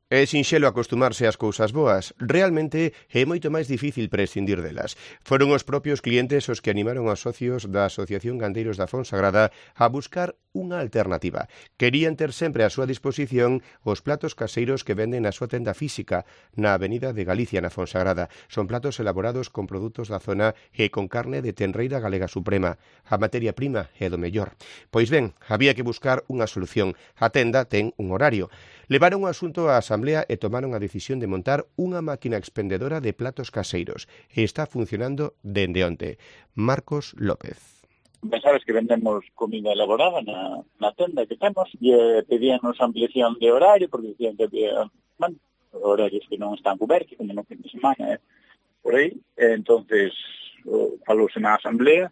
É sinxelo acostumarse ás cousas boas. Realmente é moito máis difícil prescindir delas. Foron os propios clientes os que animaron aos socios da Asociación Gandeiros da Fonsagrada a buscar unha alternativa. Querían ter sempre á súa disposición os platos caseiros que venden na súa tenda física na Avenida de Galicia, na Fonsagrada. Son platos elaborados con produtos da zona e con carne de tenreira galega suprema. A materia prima é do mellor. Pois ben, había que buscar unha solución. A tenda ten un horario. Levaron o asunto á Asamblea e tomaron a decisión de montar unha máquina expendedora de platos caseiros e está funcionando dende onte. Marcos López. Ben sabes que vendemos comida elaborada na tenda que temos e pedíanos ampliación de horario porque dicían que había horarios que non están cobertos, como no fin de semana, por aí. Entonces falouse na Asamblea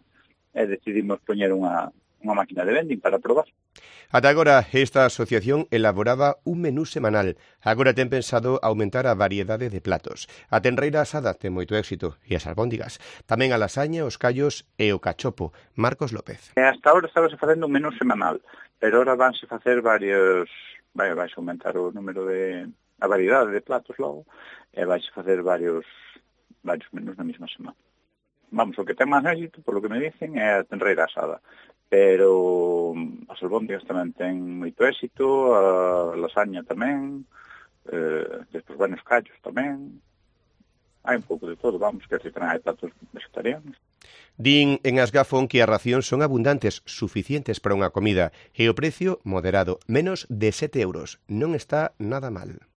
e decidimos poñer unha máquina de vending para probar. Ata agora, esta asociación elaboraba un menú semanal. Agora ten pensado aumentar a variedade de platos. A tenreira asada ten moito éxito e as albóndigas. Tamén a lasaña, os callos e o cachopo. Marcos López. Hasta ahora estábase facendo un menú semanal, pero ahora vanse facer varios... Vai aumentar o número a variedade de platos logo e vais facer varios menús na mesma semana. Vamos, o que ten máis éxito, por lo que me dicen, é a tenreira asada. Pero as albóndigas tamén ten moito éxito, a lasaña tamén, despois os callos tamén. Hai un pouco de todo, vamos, que tamén hai platos vegetarianos. Din en Asgafón que as racións son abundantes, suficientes para unha comida, e o precio moderado, menos de 7 euros. Non está nada mal.